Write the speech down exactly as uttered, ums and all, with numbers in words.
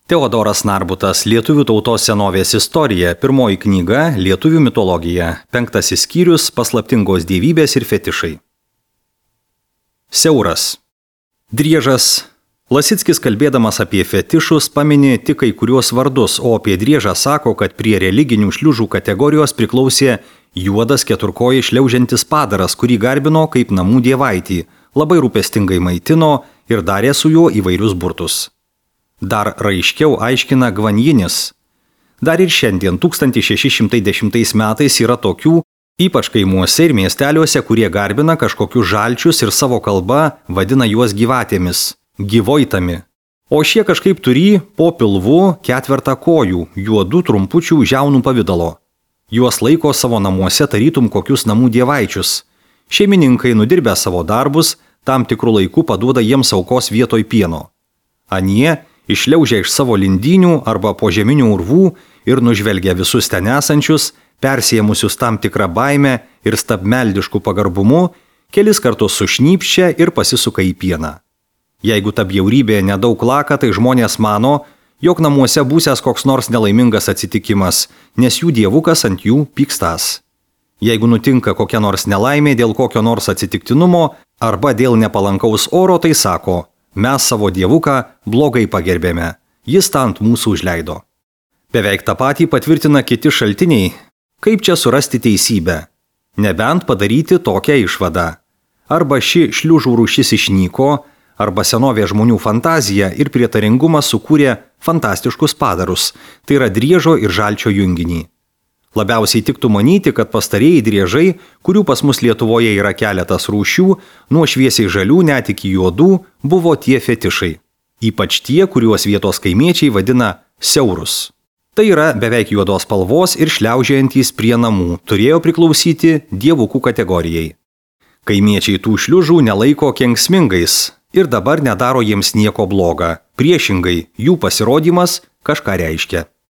Teodoras Narbutas, Lietuvių tautos senovės istorija, pirmoji knyga, Lietuvių mitologija, penktasis skyrius, paslaptingos dievybės ir fetišai. Siauras. Driežas. Lasickis, kalbėdamas apie fetišus, pamini tik kai kuriuos vardus, o apie driežą sako, kad prie religinių šliužų kategorijos priklausė juodas keturkojai šliaužiantis padaras, kurį garbino kaip namų dievaitį, labai rūpestingai maitino ir darė su juo įvairius burtus. Dar raiškiau aiškina Gvanjinis. Dar ir šiandien tūkstantis šeši šimtai dešimtais metais yra tokių, ypač kaimuose ir miesteliuose, kurie garbina kažkokius žalčius ir savo kalba vadina juos gyvatėmis, gyvoitami. O šie kažkaip turi po pilvu ketvertą kojų, juodų trumpučių žiaunų pavidalo. Juos laiko savo namuose tarytum kokius namų dievaičius. Šeimininkai nudirbę savo darbus, tam tikrų laikų paduoda jiems aukos vietoj pieno. Anie išliaužia iš savo lindynių arba požeminių urvų ir nužvelgia visus ten esančius, persiemusius tam tikrą baimę ir stabmeldiškų pagarbumu, kelis kartus sušnypščia ir pasisuka į pieną. Jeigu ta bjaurybė nedaug laka, tai žmonės mano, jog namuose būsęs koks nors nelaimingas atsitikimas, nes jų dievukas ant jų pykstas. Jeigu nutinka kokia nors nelaimė dėl kokio nors atsitiktinumo arba dėl nepalankaus oro, tai sako, mes savo dievuką blogai pagerbėme, jis tą ant mūsų užleido. Beveik tą patį patvirtina kiti šaltiniai, kaip čia surasti teisybę, nebent padaryti tokią išvadą. Arba ši šliužų rūšis išnyko, arba senovė žmonių fantazija ir prietaringumas sukūrė fantastiškus padarus, tai yra driežo ir žalčio junginį. Labiausiai tiktų manyti, kad pastarieji driežai, kurių pas mus Lietuvoje yra keletas rūšių, nuo šviesiai žalių net iki juodų, buvo tie fetišai. Ypač tie, kuriuos vietos kaimiečiai vadina siaurus. Tai yra beveik juodos spalvos ir šliaužiantys prie namų, turėjo priklausyti dievukų kategorijai. Kaimiečiai tų šliužų nelaiko kenksmingais ir dabar nedaro jiems nieko bloga. Priešingai, jų pasirodymas kažką reiškia.